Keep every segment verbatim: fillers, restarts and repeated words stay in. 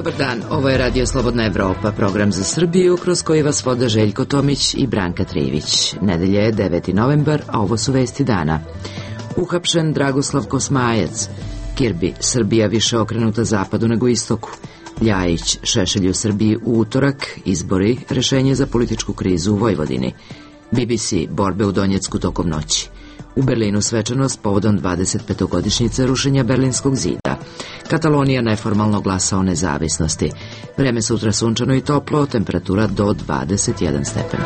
Dobar dan, ovo je Radio Slobodna Evropa, program za Srbiju kroz koji vas vode Željko Tomić i Branka Trivić. Nedelja je deveti novembar, a ovo su vesti dana. Uhapšen Dragoslav Kosmajac. Kirbi, Srbija više okrenuta zapadu nego istoku. Ljajić, Šešelj u Srbiji u utorak, izbori, rešenje za političku krizu u Vojvodini. B B C, borbe u Donjecku tokom noći. U Berlinu svečanost povodom dvadesetpetogodišnjice rušenja Berlinskog zida. Katalonija neformalno glasa o nezavisnosti. Vreme sutra sunčano i toplo, temperatura do dvadeset jedan stepen.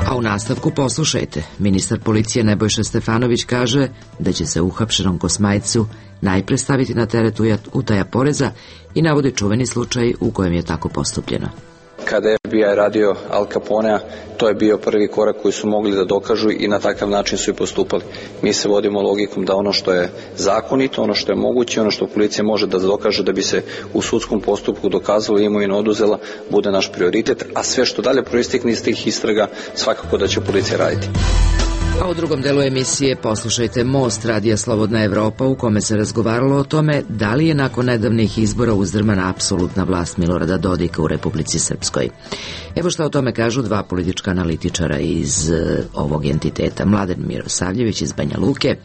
A u nastavku poslušajte. Ministar policije Nebojša Stefanović kaže da će se uhapšenom Kosmajcu najpre staviti na teret utaja poreza i navodi čuveni slučaj u kojem je tako postupljeno. Kada je F B I radio Al Caponea, to je bio prvi korak koji su mogli da dokažu i na takav način su i postupali. Mi se vodimo logikom da ono što je zakonito, ono što je moguće, ono što policija može da dokaže da bi se u sudskom postupku dokazalo i imovina oduzela, bude naš prioritet, a sve što dalje proistekne iz tih istraga svakako da će policija raditi. A u drugom delu emisije poslušajte Most Radija Slobodna Evropa u kome se razgovaralo o tome da li je nakon nedavnih izbora uzdrmana apsolutna vlast Milorada Dodika u Republici Srpskoj. Evo šta o tome kažu dva politička analitičara iz uh, ovog entiteta, Mladen Mirosavljević iz Banja Luke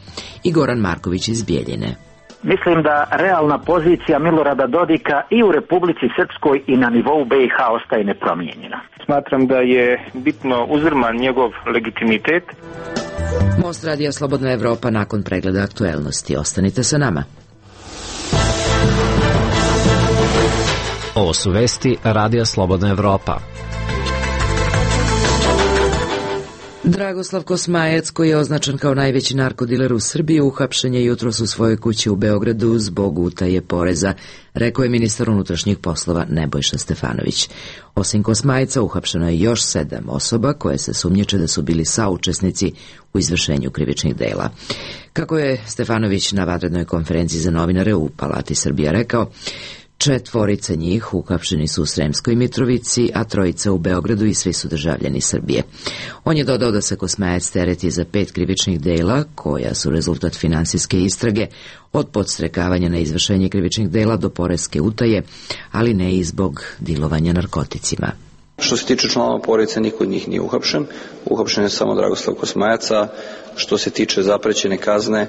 i Goran Marković iz Bijeljine. Mislim da realna pozicija Milorada Dodika i u Republici Srpskoj i na nivou B i H ostaje nepromijenjena. Smatram da je bitno uzdrman njegov legitimitet. Most Radija Slobodna Evropa nakon pregleda aktuelnosti. Ostanite sa nama. Ovo su vesti Radija Slobodna Evropa. Dragoslav Kosmajac, koji je označen kao najveći narkodiler u Srbiji, uhapšen je jutros u svojoj kući u Beogradu zbog utaje poreza, rekao je ministar unutrašnjih poslova Nebojša Stefanović. Osim Kosmajca, uhapšeno je još sedam osoba koje se sumnjiče da su bili saučesnici u izvršenju krivičnih dela. Kako je Stefanović na vanrednoj konferenciji za novinare u Palati Srbija rekao, četvorica njih uhapšeni su u Sremskoj Mitrovici, a trojica u Beogradu i svi su državljani Srbije. On je dodao da se Kosmajac tereti za pet krivičnih dela, koja su rezultat finansijske istrage, od podstrekavanja na izvršenje krivičnih dela do poreske utaje, ali ne i zbog dilovanja narkoticima. Što se tiče članova porodice, niko od njih nije uhapšen. Uhapšen je samo Dragoslav Kosmajac. Što se tiče zaprećene kazne,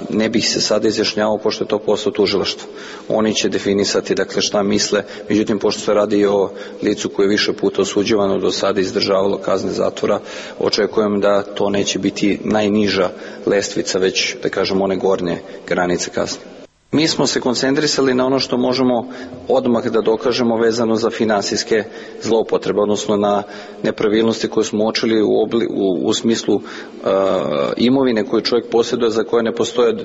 ne bih se sada izjašnjavao pošto je to posao tužilaštva. Oni će definisati dakle šta misle, međutim pošto se radi o licu koje je više puta osuđivano do sada izdržavalo kazne zatvora, očekujem da to neće biti najniža lestvica, već da kažem one gornje granice kazne. Mi smo se koncentrisali na ono što možemo odmah da dokažemo vezano za finansijske zloupotrebe, odnosno na nepravilnosti koje smo uočili u, obli, u, u smislu uh, imovine koju čovjek posjeduje za koje ne postoje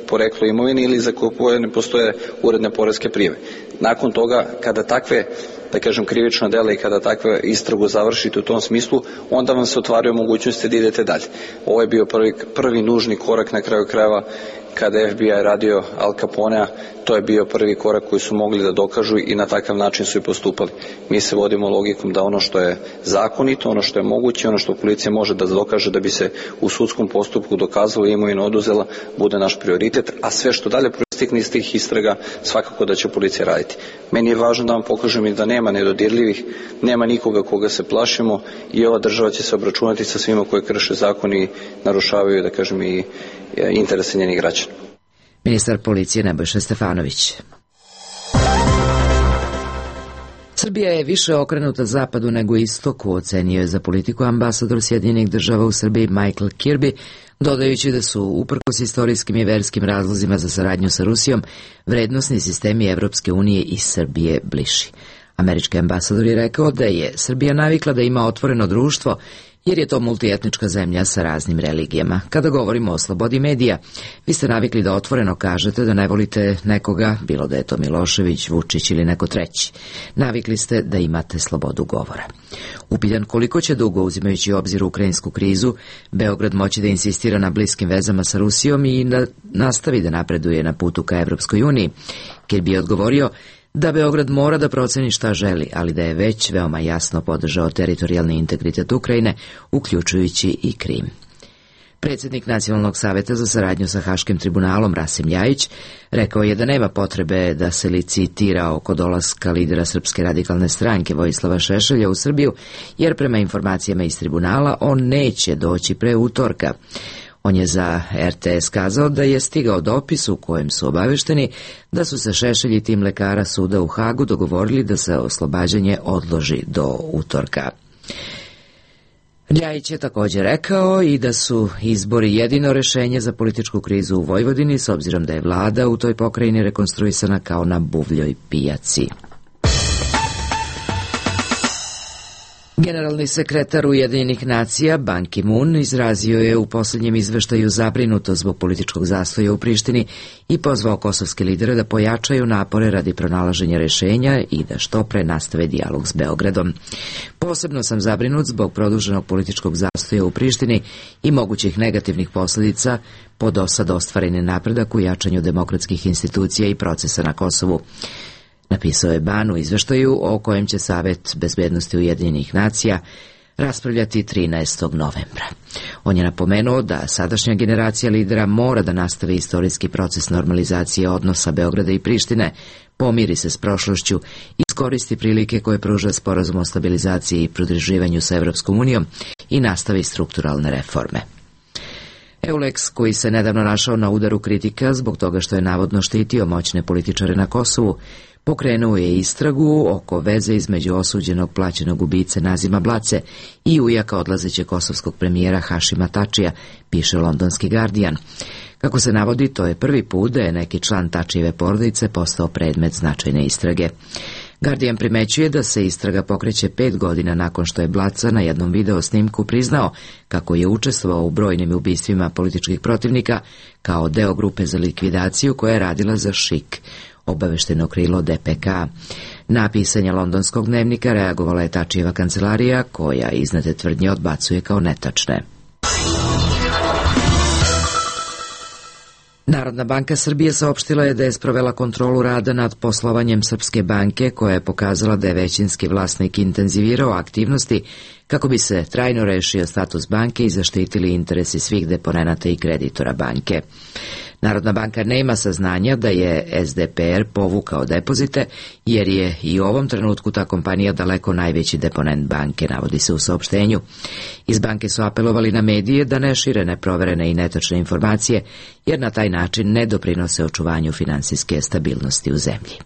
poreklo imovine ili za koje ne postoje uredne poreske prijave. Nakon toga, kada takve, da kažem, krivična dela i kada takve istragu završite u tom smislu, onda vam se otvaraju mogućnosti da idete dalje. Ovo je bio prvi, prvi nužni korak na kraju krajeva kada je F B I radio Al Caponea, to je bio prvi korak koji su mogli da dokažu i na takav način su i postupali. Mi se vodimo logikom da ono što je zakonito, ono što je moguće, ono što policija može da dokaže da bi se u sudskom postupku dokazalo i imovina oduzela, bude naš prioritet, a sve što dalje proistekne iz tih istraga svakako da će policija raditi. Meni je važno da vam pokažem i da nema nedodirljivih, nema nikoga koga se plašimo i ova država će se obračunati sa svima koji krše zakon i narušavaju, da kažem, i interese njenih građana. Ministar policije Nebojša Stefanović. Srbija je više okrenuta zapadu nego istoku, ocenio je za politiku ambasador Sjedinjenih država u Srbiji Michael Kirby, dodajući da su, uprkos istorijskim i verskim razlozima za saradnju sa Rusijom, vrednosni sistemi Evropske unije i Srbije bliži. Američki ambasador je rekao da je Srbija navikla da ima otvoreno društvo, jer je to multietnička zemlja sa raznim religijama. Kada govorimo o slobodi medija, vi ste navikli da otvoreno kažete da ne volite nekoga, bilo da je to Milošević, Vučić ili neko treći. Navikli ste da imate slobodu govora. Upitan koliko će dugo, uzimajući u obzir ukrajinsku krizu, Beograd moći da insistira na bliskim vezama sa Rusijom i da nastavi da napreduje na putu ka Evropskoj uniji, Kirby je odgovorio da Beograd mora da proceni šta želi, ali da je već veoma jasno podržao teritorijalni integritet Ukrajine, uključujući i Krim. Predsjednik Nacionalnog saveta za saradnju sa Haškim tribunalom Rasim Ljajić rekao je da nema potrebe da se licitira oko dolaska lidera Srpske radikalne stranke Vojislava Šešelja u Srbiju, jer prema informacijama iz tribunala on neće doći pre utorka. On je za er te es kazao da je stigao dopis u kojem su obavešteni da su se Šešelj i tim lekara suda u Hagu dogovorili da se oslobađanje odloži do utorka. Ljajić je također rekao i da su izbori jedino rešenje za političku krizu u Vojvodini, s obzirom da je vlada u toj pokrajini rekonstruisana kao na buvljoj pijaci. Generalni sekretar Ujedinjenih nacija Ban Ki-moon izrazio je u posljednjem izveštaju zabrinuto zbog političkog zastoja u Prištini i pozvao kosovske lidere da pojačaju napore radi pronalaženja rešenja i da što pre nastave dijalog s Beogradom. Posebno sam zabrinut zbog produženog političkog zastoja u Prištini i mogućih negativnih posljedica po do sad ostvareni napredak u jačanju demokratskih institucija i procesa na Kosovu. Napisao je Ban u izveštaju o kojem će Savet bezbednosti Ujedinjenih nacija raspravljati trinaestog novembra. On je napomenuo da sadašnja generacija lidera mora da nastavi istorijski proces normalizacije odnosa Beograda i Prištine, pomiri se s prošlošću i iskoristi prilike koje pruža sporazum o stabilizaciji i pridruživanju sa Evropskom unijom i nastavi strukturalne reforme. Euleks, koji se nedavno našao na udaru kritika zbog toga što je navodno štitio moćne političare na Kosovu, pokrenuo je istragu oko veze između osuđenog plaćenog ubice Nazima Blace i ujaka odlazeće kosovskog premijera Hašima Tačija, piše londonski Guardian. Kako se navodi, to je prvi put da je neki član Tačijeve porodice postao predmet značajne istrage. Guardian primećuje da se istraga pokreće pet godina nakon što je Blaca na jednom video snimku priznao kako je učestvovao u brojnim ubistvima političkih protivnika kao deo grupe za likvidaciju koja je radila za Šik, obavešteno krilo de pe ka. Na pisanje londonskog dnevnika reagovala je Tačijeva kancelarija, koja iznete tvrdnje odbacuje kao netačne. Narodna banka Srbije saopštila je da je sprovela kontrolu rada nad poslovanjem Srpske banke, koja je pokazala da je većinski vlasnik intenzivirao aktivnosti kako bi se trajno rešio status banke i zaštitili interesi svih deponenata i kreditora banke. Narodna banka nema saznanja da je es de pe er povukao depozite, jer je i u ovom trenutku ta kompanija daleko najveći deponent banke, navodi se u saopštenju. Iz banke su apelovali na medije da ne šire neproverene i netačne informacije, jer na taj način ne doprinose očuvanju finansijske stabilnosti u zemlji.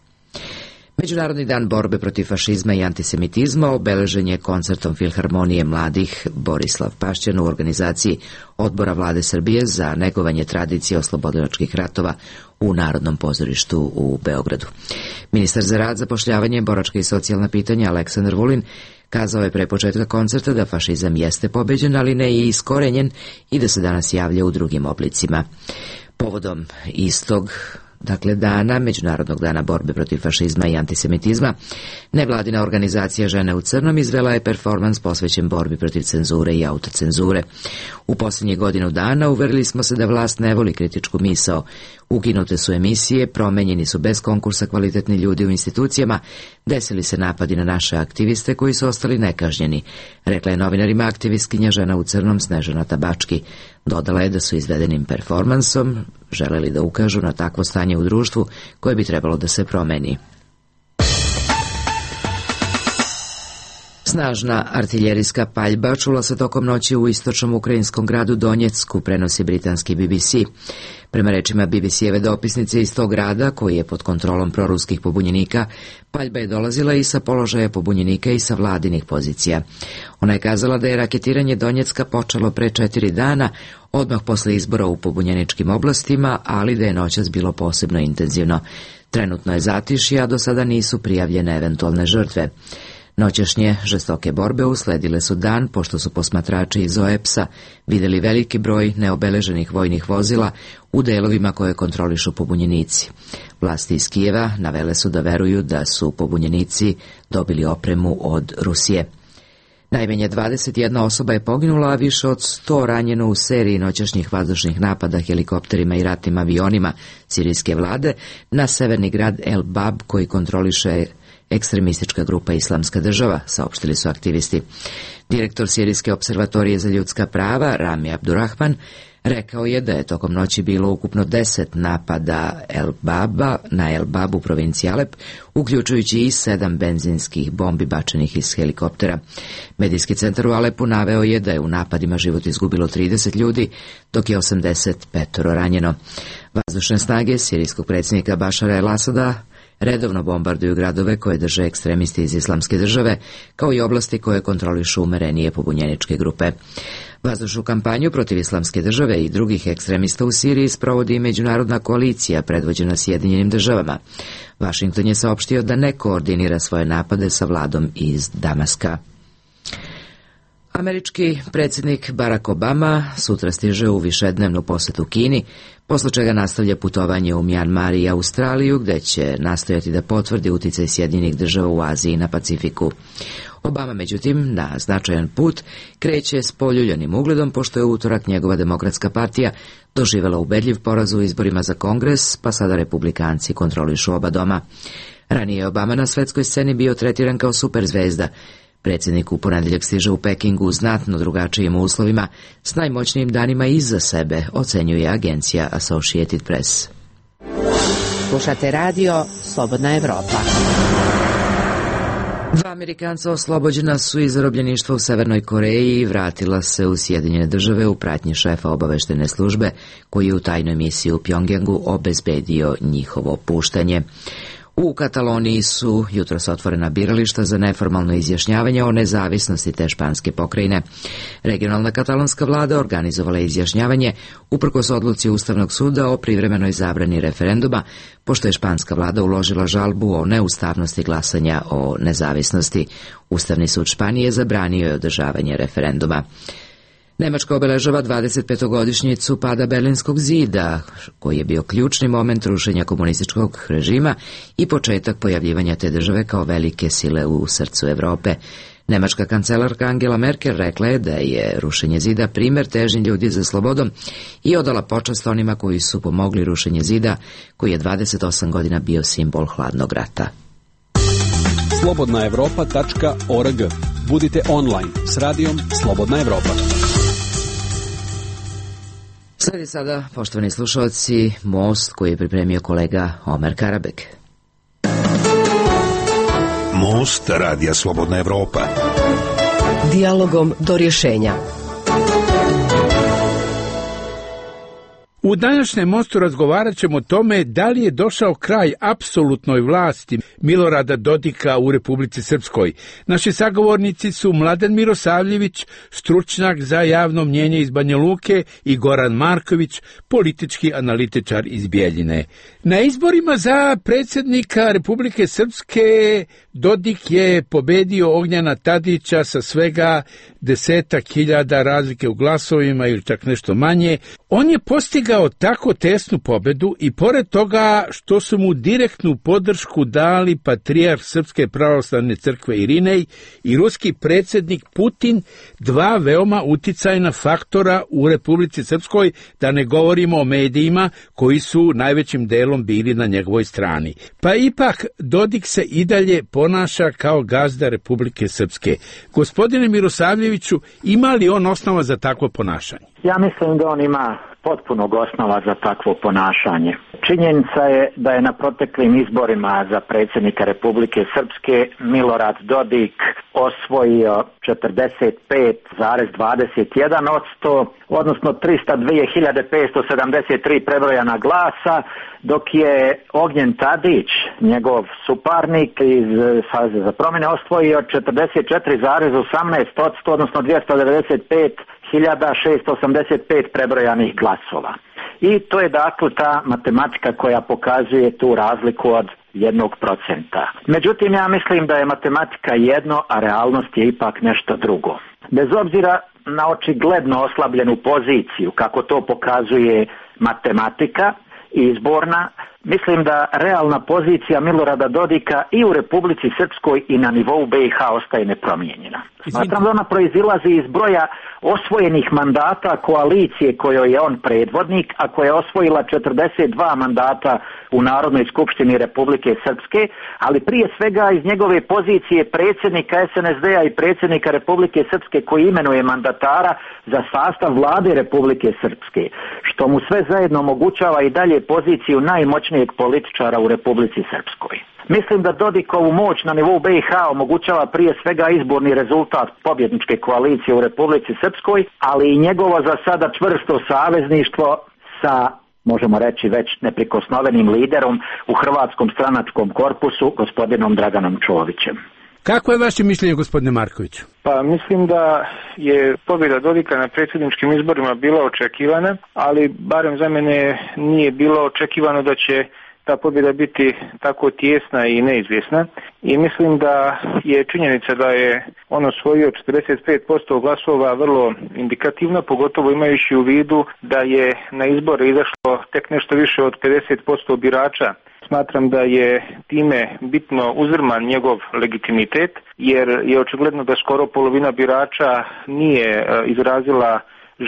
Međunarodni dan borbe protiv fašizma i antisemitizma obeležen je koncertom Filharmonije mladih Borislav Pašćan u organizaciji Odbora vlade Srbije za negovanje tradicije oslobodilačkih ratova u Narodnom pozorištu u Beogradu. Ministar za rad, zapošljavanje, boračka i socijalna pitanja Aleksandar Vulin kazao je pre početka koncerta da fašizam jeste pobeđen, ali ne i iskorenjen i da se danas javlja u drugim oblicima. Povodom istog Dakle, dana, Međunarodnog dana borbe protiv fašizma i antisemitizma, nevladina organizacija Žene u crnom izvela je performans posvećen borbi protiv cenzure i autocenzure. U posljednjih godinu dana uverili smo se da vlast ne voli kritičku misao. Ukinute su emisije, promenjeni su bez konkursa kvalitetni ljudi u institucijama, desili se napadi na naše aktiviste koji su ostali nekažnjeni, rekla je novinarima aktivistkinja Žena u crnom Snežana Tabački. Dodala je da su izvedenim performansom želeli da ukažu na takvo stanje u društvu koje bi trebalo da se promeni. Snažna artiljerijska paljba čula se tokom noći u istočnom ukrajinskom gradu Donjecku, prenosi britanski be be ce. Prema rečima be be ce-eve dopisnice iz tog grada, koji je pod kontrolom proruskih pobunjenika, paljba je dolazila i sa položaja pobunjenika i sa vladinih pozicija. Ona je kazala da je raketiranje Donjecka počelo pre četiri dana, odmah posle izbora u pobunjeničkim oblastima, ali da je noćas bilo posebno intenzivno. Trenutno je zatišje, a do sada nisu prijavljene eventualne žrtve. Noćašnje žestoke borbe usledile su dan, pošto su posmatrači iz o e pe es-a videli veliki broj neobeleženih vojnih vozila u delovima koje kontrolišu pobunjenici. Vlasti iz Kijeva navele su da veruju da su pobunjenici dobili opremu od Rusije. Najmanje dvadeset jedna osoba je poginula, a više od sto ranjeno u seriji noćašnjih vazdušnih napada helikopterima i ratnim avionima sirijske vlade na severni grad El Bab, koji kontroliše ekstremistička grupa Islamska država, saopštili su aktivisti. Direktor Sirijske observatorije za ljudska prava, Rami Abdurrahman, rekao je da je tokom noći bilo ukupno deset napada El Baba na El Babu provinciji Alep, uključujući i sedam benzinskih bombi bačenih iz helikoptera. Medijski centar u Alepu naveo je da je u napadima život izgubilo trideset ljudi, dok je osamdeset pet ranjeno. Vazdušne snage sirijskog predsjednika Bašara El Asada redovno bombarduju gradove koje drže ekstremisti iz Islamske države, kao i oblasti koje kontrolišu umerenije pobunjeničke grupe. Vazdušnu kampanju protiv Islamske države i drugih ekstremista u Siriji sprovodi međunarodna koalicija predvođena Sjedinjenim državama. Vašington je saopštio da ne koordinira svoje napade sa vladom iz Damaska. Američki predsjednik Barack Obama sutra stiže u višednevnu posetu Kini, posle čega nastavlja putovanje u Mjanmar i Australiju, gde će nastojati da potvrdi uticaj Sjedinjenih država u Aziji i na Pacifiku. Obama, međutim, na značajan put kreće s poljuljanim ugledom, pošto je u utorak njegova demokratska partija doživela ubedljiv poraz u izborima za Kongres, pa sada republikanci kontrolišu oba doma. Ranije je Obama na svetskoj sceni bio tretiran kao superzvezda. Predsjednik u ponedeljak stiže u Pekingu u znatno drugačijim uslovima, s najmoćnijim danima iza sebe, ocenjuje agencija Associated Press. Slušate radio Slobodna Evropa. Dva Amerikanca oslobođena su iz zarobljeništva u Severnoj Koreji i vratila se u Sjedinjene države u pratnji šefa obaveštene službe, koji je u tajnoj misiji u Pjongjangu obezbedio njihovo puštanje. U Kataloniji su jutros otvorena birališta za neformalno izjašnjavanje o nezavisnosti te španske pokrajine. Regionalna katalonska vlada organizovala je izjašnjavanje uprkos odluci Ustavnog suda o privremenoj zabrani referenduma, pošto je španska vlada uložila žalbu o neustavnosti glasanja o nezavisnosti. Ustavni sud Španije zabranio je održavanje referenduma. Nemačka obeležava dvadesetpetogodišnjicu pada Berlinskog zida, koji je bio ključni moment rušenja komunističkog režima i početak pojavljivanja te države kao velike sile u srcu Evrope. Nemačka kancelarka Angela Merkel rekla je da je rušenje zida primer težnje ljudi za slobodom i odala počast onima koji su pomogli rušenje zida, koji je dvadeset osam godina bio simbol hladnog rata. slobodna evropa tačka org. Budite online s radijom Slobodna Evropa. Sledi sada, poštovani slušalci, Most koji je pripremio kolega Omer Karabek. Most radija Slobodna Evropa. Dijalogom do rješenja. U današnjem Mostu razgovarat ćemo o tome da li je došao kraj apsolutnoj vlasti Milorada Dodika u Republici Srpskoj. Naši sagovornici su Mladen Mirosavljević, stručnjak za javno mnjenje iz Banja Luke, i Goran Marković, politički analitičar iz Bijeljine. Na izborima za predsjednika Republike Srpske Dodik je pobedio Ognjana Tadića sa svega desetak hiljada razlike u glasovima ili čak nešto manje. On je postigao tako tesnu pobedu i pored toga što su mu direktnu podršku dali patrijarh Srpske pravoslavne crkve Irinej i ruski predsjednik Putin, dva veoma uticajna faktora u Republici Srpskoj, da ne govorimo o medijima koji su najvećim delom bili na njegovoj strani. Pa ipak Dodik se i dalje ponaša kao gazda Republike Srpske. Gospodine Mirosavljeviću, ima li on osnova za takvo ponašanje? Ja mislim da on ima potpunog osnova za takvo ponašanje. Činjenica je da je na proteklim izborima za predsjednika Republike Srpske Milorad Dodik osvojio četrdeset pet zarez dvadeset jedan posto, odnosno tristo dvije hiljade petsto sedamdeset tri prebrojana glasa, dok je Ognjen Tadić, njegov suparnik iz Saveza za promjene, osvojio četrdeset četiri zarez osamnaest posto, odnosno dvjesto devedeset pet hiljada šeststo osamdeset pet prebrojanih glasova. I to je dakle ta matematika koja pokazuje tu razliku od jednog procenta. Međutim, ja mislim da je matematika jedno, a realnost je ipak nešto drugo. Bez obzira na očigledno oslabljenu poziciju, kako to pokazuje matematika izborna, Mislim da realna pozicija Milorada Dodika i u Republici Srpskoj i na nivou B i H ostaje nepromijenjena. Smatram da ona proizilazi iz broja osvojenih mandata koalicije kojoj je on predvodnik, a koja je osvojila četrdeset dva mandata u Narodnoj skupštini Republike Srpske, ali prije svega iz njegove pozicije predsjednika S N S D-a i predsjednika Republike Srpske koji imenuje mandatara za sastav vlade Republike Srpske, što mu sve zajedno omogućava i dalje poziciju najmoćnijeg političara u Republici Srpskoj. Mislim da Dodikovu moć na nivou B i H omogućava prije svega izborni rezultat pobjedničke koalicije u Republici Srpskoj, ali i njegovo za sada čvrsto savezništvo sa, možemo reći, već neprikosnovenim liderom u hrvatskom stranačkom korpusu, gospodinom Draganom Čovićem. Kako je vaše mišljenje, gospodine Markoviću? Pa mislim da je pobjeda Dodika na predsjedničkim izborima bila očekivana, ali barem za mene nije bilo očekivano da će ta pobjeda biti tako tijesna i neizvjesna. I mislim da je činjenica da je on osvojio četrdeset pet posto glasova vrlo indikativna, pogotovo imajući u vidu da je na izbore izašlo tek nešto više od pedeset posto birača. Smatram da je time bitno uzdrman njegov legitimitet, jer je očigledno da skoro polovina birača nije izrazila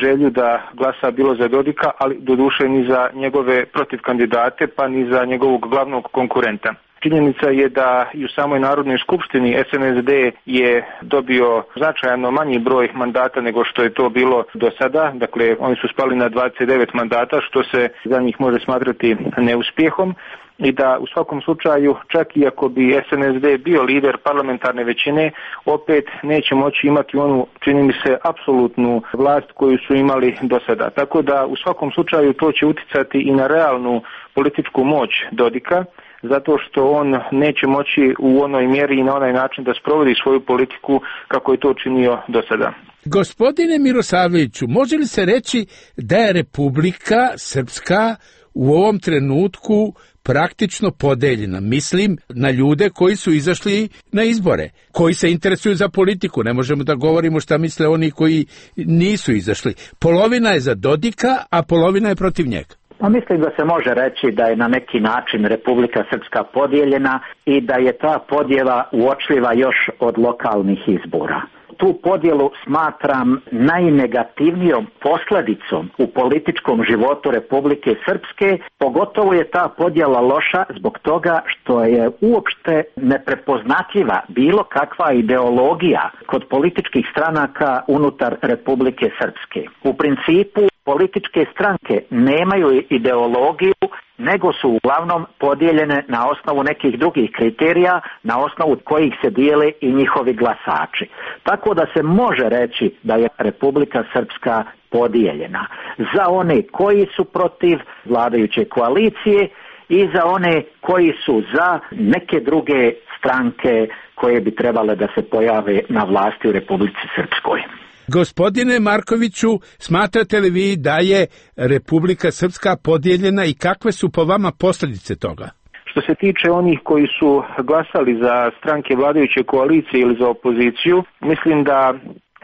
želju da glasa bilo za Dodika, ali doduše ni za njegove protivkandidate, pa ni za njegovog glavnog konkurenta. Činjenica je da i u samoj Narodnoj skupštini S N S D je dobio značajno manji broj mandata nego što je to bilo do sada. Dakle, oni su spali na dvadeset devet mandata, što se za njih može smatrati neuspjehom. I da u svakom slučaju, čak i ako bi S N S D bio lider parlamentarne većine, opet neće moći imati onu, čini mi se, apsolutnu vlast koju su imali do sada. Tako da u svakom slučaju to će uticati i na realnu političku moć Dodika, zato što on neće moći u onoj mjeri i na onaj način da sprovodi svoju politiku kako je to činio do sada. Gospodine Mirosavljeviću, može li se reći da je Republika Srpska u ovom trenutku praktično podeljena? Mislim na ljude koji su izašli na izbore, koji se interesuju za politiku. Ne možemo da govorimo šta misle oni koji nisu izašli. Polovina je za Dodika, a polovina je protiv njega. Pa mislim da se može reći da je na neki način Republika Srpska podijeljena i da je ta podjela uočljiva još od lokalnih izbora. Tu podjelu smatram najnegativnijom posljedicom u političkom životu Republike Srpske, pogotovo je ta podjela loša zbog toga što je uopšte neprepoznatljiva bilo kakva ideologija kod političkih stranaka unutar Republike Srpske. U principu političke stranke nemaju ideologiju, nego su uglavnom podijeljene na osnovu nekih drugih kriterija, na osnovu kojih se dijele i njihovi glasači. Tako da se može reći da je Republika Srpska podijeljena za one koji su protiv vladajuće koalicije i za one koji su za neke druge stranke koje bi trebale da se pojave na vlasti u Republici Srpskoj. Gospodine Markoviću, smatrate li vi da je Republika Srpska podijeljena i kakve su po vama posljedice toga? Što se tiče onih koji su glasali za stranke vladajuće koalicije ili za opoziciju, mislim da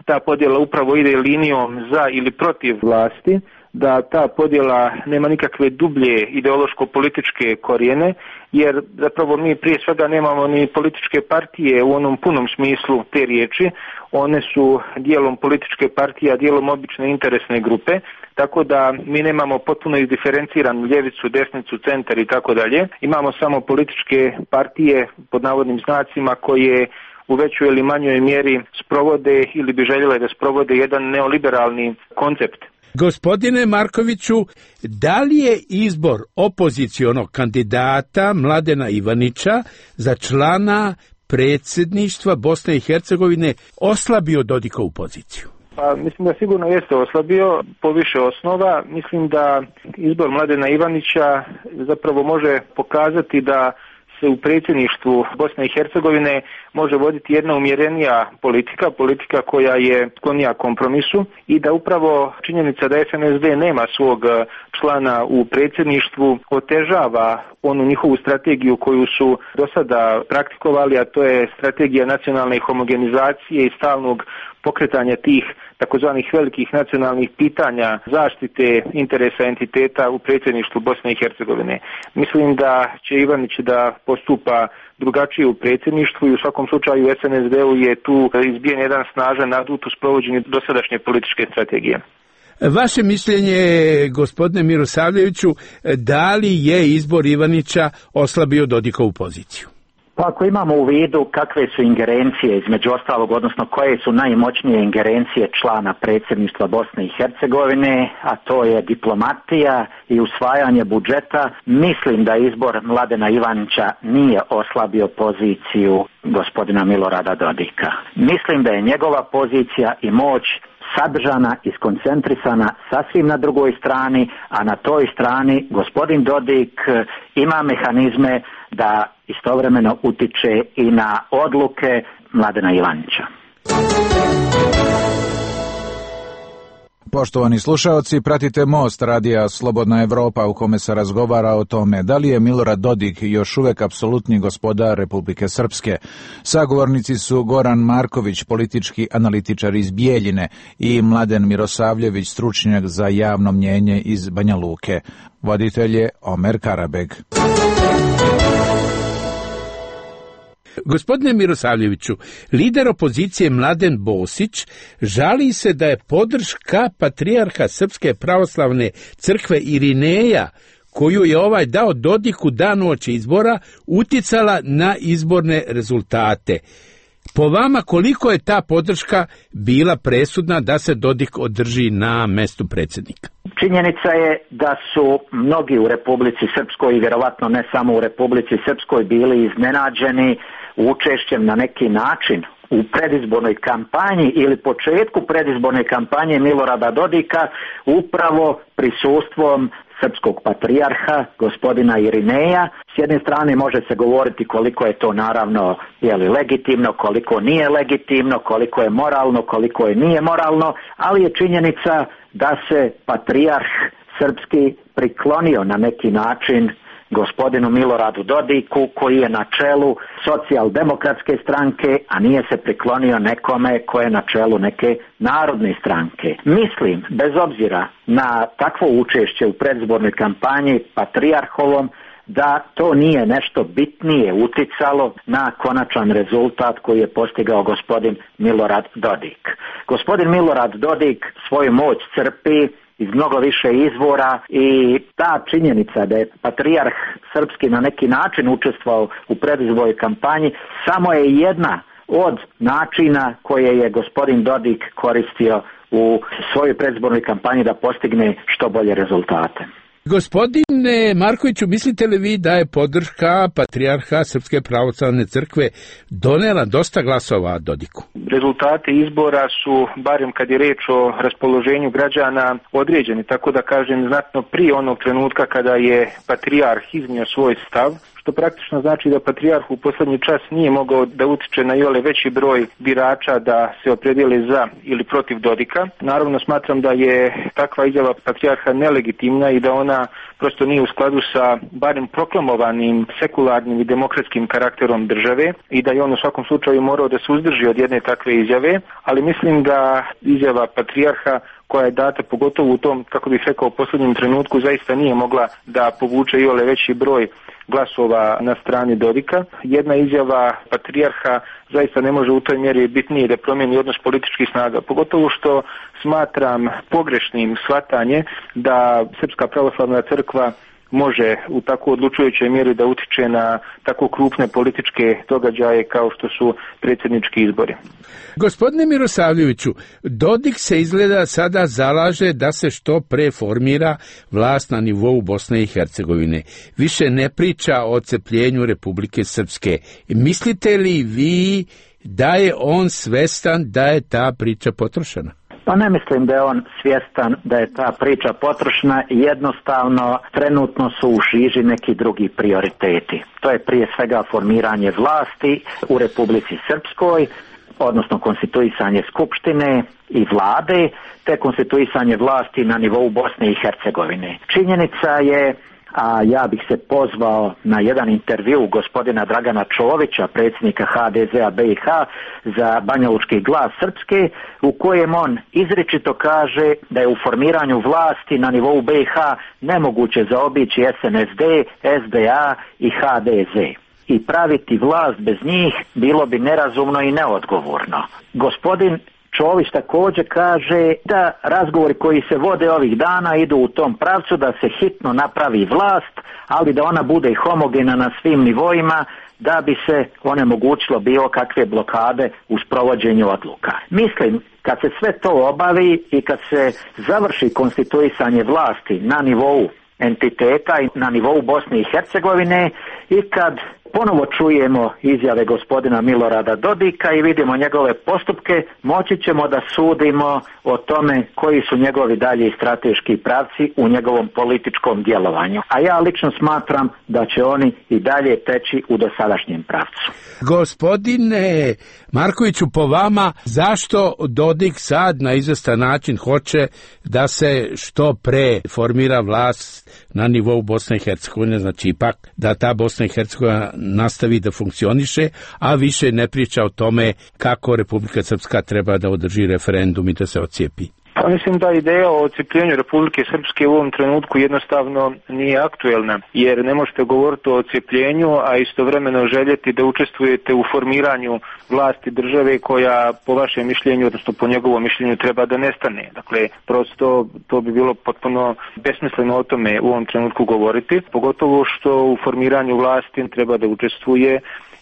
ta podjela upravo ide linijom za ili protiv vlasti, da ta podjela nema nikakve dublje ideološko-političke korijene, jer zapravo mi prije svega nemamo ni političke partije u onom punom smislu te riječi. One su dijelom političke partije, a dijelom obične interesne grupe, tako da mi nemamo potpuno izdiferenciranu ljevicu, desnicu, centar i tako dalje. Imamo samo političke partije pod navodnim znacima koje u većoj ili manjoj mjeri sprovode ili bi željele da sprovode jedan neoliberalni koncept. Gospodine Markoviću, da li je izbor opozicionog kandidata Mladena Ivanića za člana predsjedništva Bosne i Hercegovine oslabio Dodikovu poziciju? Pa mislim da sigurno jeste oslabio po više osnova. Mislim da izbor Mladena Ivanića zapravo može pokazati da se u predsjedništvu Bosne i Hercegovine može voditi jedna umjerenija politika, politika koja je sklonija kompromisu i da upravo činjenica da S N S D nema svog člana u predsjedništvu otežava onu njihovu strategiju koju su do sada praktikovali, a to je strategija nacionalne homogenizacije i stalnog pokretanja tih takozvanih velikih nacionalnih pitanja zaštite interesa entiteta u predsjedništvu Bosne i Hercegovine. Mislim da će Ivanić da postupa drugačije u predsjedništvu i u svakom slučaju S N S D-u je tu izbijen jedan snažan adut u sprovođenju dosadašnje političke strategije. Vaše mišljenje, gospodine Mirosavljeviću, da li je izbor Ivanića oslabio Dodikovu poziciju? Pa ako imamo u vidu kakve su ingerencije između ostalog, odnosno koje su najmoćnije ingerencije člana predsjedništva Bosne i Hercegovine, a to je diplomatija i usvajanje budžeta, mislim da izbor Mladena Ivanića nije oslabio poziciju gospodina Milorada Dodika. Mislim da je njegova pozicija i moć sadržana i skoncentrisana sasvim na drugoj strani, a na toj strani gospodin Dodik ima mehanizme da istovremeno utiče i na odluke Mladena Ivanića. Poštovani slušaoci, pratite Most radija Slobodna Evropa u kome se razgovara o tome da li je Milorad Dodik još uvek apsolutni gospodar Republike Srpske. Sagovornici su Goran Marković, politički analitičar iz Bijeljine, i Mladen Mirosavljević, stručnjak za javno mnjenje iz Banja Luke. Voditelj je Omer Karabeg. Gospodine Mirosavljeviću, lider opozicije Mladen Bosić žali se da je podrška patrijarha Srpske pravoslavne crkve Irineja, koju je ovaj dao Dodiku dan uoči izbora, uticala na izborne rezultate. Po vama, koliko je ta podrška bila presudna da se Dodik održi na mestu predsjednika? Činjenica je da su mnogi u Republici Srpskoj i vjerovatno ne samo u Republici Srpskoj bili iznenađeni učešćem na neki način u predizbornoj kampanji ili početku predizborne kampanje Milorada Dodika upravo prisustvom srpskog patrijarha, gospodina Irineja. S jedne strane može se govoriti koliko je to naravno jeli, legitimno, koliko nije legitimno, koliko je moralno, koliko je nije moralno, ali je činjenica da se patrijarh srpski priklonio na neki način gospodinu Miloradu Dodiku, koji je na čelu socijaldemokratske stranke, a nije se priklonio nekome koje je na čelu neke narodne stranke. Mislim, bez obzira na takvo učešće u predizbornoj kampanji patrijarhovom, da to nije nešto bitnije uticalo na konačan rezultat koji je postigao gospodin Milorad Dodik. Gospodin Milorad Dodik svoju moć crpi iz mnogo više izvora i ta činjenica da je patrijarh srpski na neki način učestvovao u predizbornoj kampanji samo je jedna od načina koje je gospodin Dodik koristio u svojoj predizbornoj kampanji da postigne što bolje rezultate. Gospodine Markoviću, mislite li vi da je podrška patrijarha Srpske pravoslavne crkve donela dosta glasova Dodiku? Rezultati izbora su, barem kad je reč o raspoloženju građana, određeni, tako da kažem znatno prije onog trenutka kada je patrijarh iznio svoj stav, što praktično znači da patrijarh u posljednji čas nije mogao da utiče na iole veći broj birača da se opredijele za ili protiv Dodika. Naravno smatram da je takva izjava patrijarha nelegitimna i da ona prosto nije u skladu sa barem proklamovanim sekularnim i demokratskim karakterom države i da je on u svakom slučaju morao da se uzdrži od jedne takve izjave, ali mislim da izjava patrijarha koja je data pogotovo u tom, kako bih rekao, posljednjem trenutku zaista nije mogla da povuče iole veći broj glasova na strani Dodika. Jedna izjava patrijarha zaista ne može u toj mjeri bitnije da promijeni odnos političkih snaga, pogotovo što smatram pogrešnim shvatanje da Srpska pravoslavna crkva može u tako odlučujućoj mjeri da utiče na tako krupne političke događaje kao što su predsjednički izbori. Gospodine Mirosavljeviću, Dodik se izgleda sada zalaže da se što pre formira vlast na nivou Bosne i Hercegovine. Više ne priča o odcepljenju Republike Srpske. Mislite li vi da je on svestan da je ta priča potrošena? Pa ne mislim da je on svjestan da je ta priča potrošna, jednostavno trenutno su u žiži neki drugi prioriteti. To je prije svega formiranje vlasti u Republici Srpskoj, odnosno konstituisanje skupštine i vlade, te konstituisanje vlasti na nivou Bosne i Hercegovine. Činjenica je a ja bih se pozvao na jedan intervju gospodina Dragana Čovića, predsjednika ha de zea be i ha za Banjalučki glas Srpske, u kojem on izričito kaže da je u formiranju vlasti na nivou be i ha nemoguće zaobići es en es de, es de a i ha de ze. I praviti vlast bez njih bilo bi nerazumno i neodgovorno. Gospodin Čović također kaže da razgovori koji se vode ovih dana idu u tom pravcu da se hitno napravi vlast, ali da ona bude homogena na svim nivoima, da bi se onemogućilo bilo kakve blokade u sprovođenju odluka. Mislim, kad se sve to obavi i kad se završi konstituisanje vlasti na nivou entiteta i na nivou Bosne i Hercegovine i kad ponovo čujemo izjave gospodina Milorada Dodika i vidimo njegove postupke, moći ćemo da sudimo o tome koji su njegovi dalji strateški pravci u njegovom političkom djelovanju. A ja lično smatram da će oni i dalje teći u dosadašnjem pravcu. Gospodine Markoviću, po vama, zašto Dodik sad na izvestan način hoće da se što pre formira vlast na nivou Bosne i Hercegovine, znači ipak da ta Bosna i Hercegovina nastavi da funkcioniše, a više ne priča o tome kako Republika Srpska treba da održi referendum i da se ocijepi? Pa mislim da ideja o ocijepljenju Republike Srpske u ovom trenutku jednostavno nije aktuelna, jer ne možete govoriti o ocijepljenju, a istovremeno željeti da učestvujete u formiranju vlasti države koja po vašem mišljenju, odnosno po njegovom mišljenju, treba da nestane. Dakle, prosto to bi bilo potpuno besmisleno o tome u ovom trenutku govoriti, pogotovo što u formiranju vlasti treba da učestvuje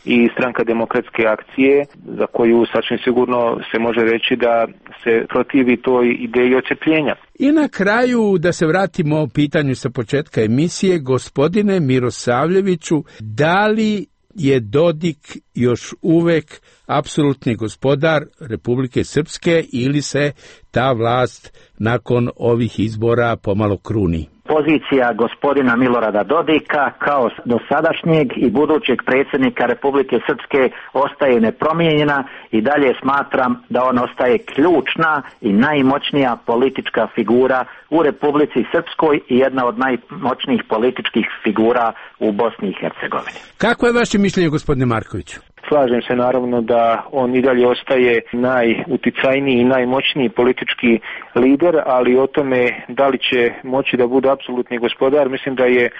i Stranka demokratske akcije, za koju sasvim sigurno se može reći da se protivi toj ideji ocijepljenja. I na kraju, da se vratimo o pitanju sa početka emisije, gospodine Mirosavljeviću, da li je Dodik još uvek apsolutni gospodar Republike Srpske ili se ta vlast nakon ovih izbora pomalo kruni? Pozicija gospodina Milorada Dodika kao dosadašnjeg i budućeg predsjednika Republike Srpske ostaje nepromijenjena i dalje smatram da on ostaje ključna i najmoćnija politička figura u Republici Srpskoj i jedna od najmoćnijih političkih figura u Bosni i Hercegovini. Kako je vaše mišljenje, gospodine Markoviću? Slažem se naravno da on i dalje ostaje najuticajniji i najmoćniji politički lider, ali o tome da li će moći da bude apsolutni gospodar, mislim da je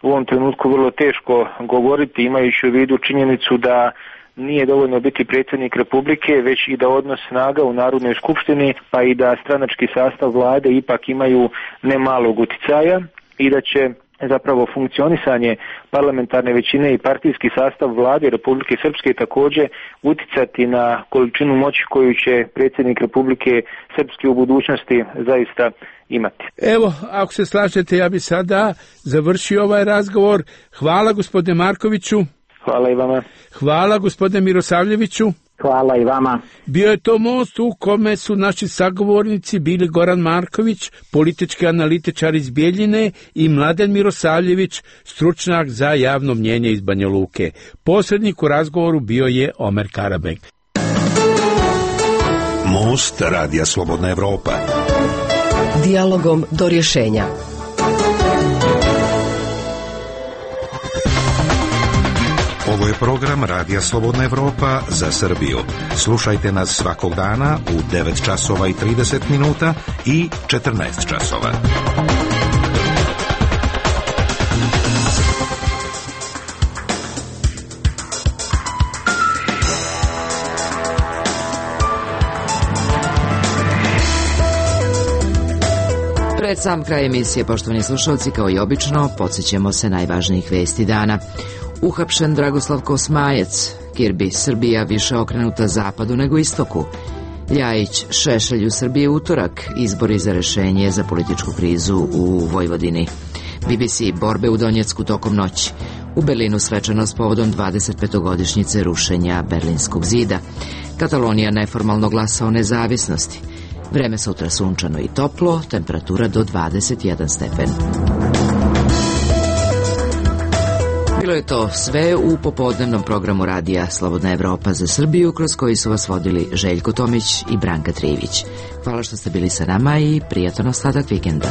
u ovom trenutku vrlo teško govoriti, imajući u vidu činjenicu da nije dovoljno biti predsjednik Republike, već i da odnos snaga u Narodnoj skupštini, pa i da stranački sastav vlade ipak imaju nemalog uticaja i da će zapravo funkcionisanje parlamentarne većine i partijski sastav vlade Republike Srpske također uticati na količinu moći koju će predsjednik Republike Srpske u budućnosti zaista imati. Evo, ako se slažete, ja bi sada završio ovaj razgovor. Hvala gospodine Markoviću. Hvala i vama. Hvala gospodine Mirosavljeviću. Hvala i vama. Bio je to most u kome su naši sagovornici bili Goran Marković, politički analitičar iz Bijeljine, i Mladen Mirosavljević, stručnjak za javno mnjenje iz Banja Luke. Posrednik u razgovoru bio je Omer Karabek. Most Radija Slobodna Evropa. Dijalogom do rješenja. Ovo je program Radija Slobodna Evropa za Srbiju. Slušajte nas svakog dana u devet časova i trideset minuta i četrnaest časova. Pred sam kraj emisije, poštovani slušalci, kao i obično, podsjećamo se najvažnijih vesti dana. Uhapšen Dragoslav Kosmajac, Kirbi, Srbija više okrenuta zapadu nego istoku. Ljajić, Šešelj u Srbiji utorak, izbori za rešenje za političku krizu u Vojvodini. B B C, borbe u Donjecku tokom noći. U Berlinu svečanost povodom dvadesetpetogodišnjice rušenja Berlinskog zida. Katalonija neformalno glasa o nezavisnosti. Vreme sutra sunčano i toplo, temperatura do dvadeset jedan stepen. Bilo je to sve u popodnevnom programu Radija Slobodna Evropa za Srbiju, kroz koji su vas vodili Željko Tomić i Branka Trivić. Hvala što ste bili sa nama i prijatan ostatak vikenda.